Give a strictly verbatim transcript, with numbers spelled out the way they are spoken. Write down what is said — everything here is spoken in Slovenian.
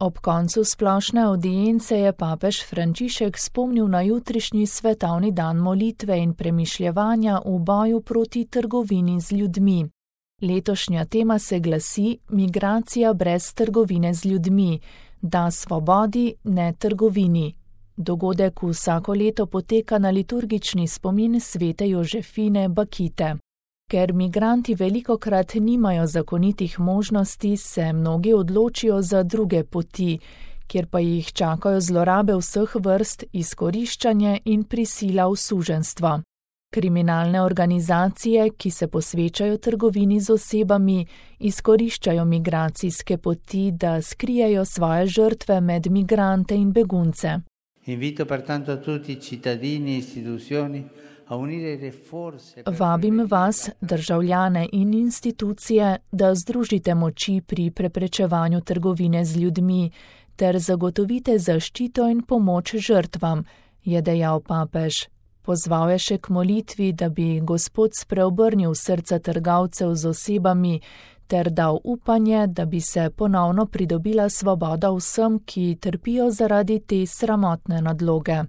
Ob koncu splošne avdience je papež Frančišek spomnil na jutrišnji svetovni dan molitve in premišljevanja v boju proti trgovini z ljudmi. Letošnja tema se glasi Migracija brez trgovine z ljudmi, da svobodi, ne trgovini. Dogodek vsako leto poteka na liturgični spomin svete Jožefine Bakite. Ker migranti velikokrat nimajo zakonitih možnosti, se mnogi odločijo za druge poti, kjer pa jih čakajo zlorabe vseh vrst, izkoriščanje in prisila v suženjstvo. Kriminalne organizacije, ki se posvečajo trgovini z osebami, izkoriščajo migracijske poti, da skrijejo svoje žrtve med migrante in begunce. Invito pertanto tutti i cittadini e istituzioni a unire le forze. Vabim vas, državljane in institucije, da združite moči pri preprečevanju trgovine z ljudmi ter zagotovite zaščito in pomoč žrtvam, je dejal papež. Pozval je še k molitvi, da bi Gospod spreobrnil srca trgovcev z osebami ter dal upanje, da bi se ponovno pridobila svoboda vsem, ki trpijo zaradi te sramotne nadloge.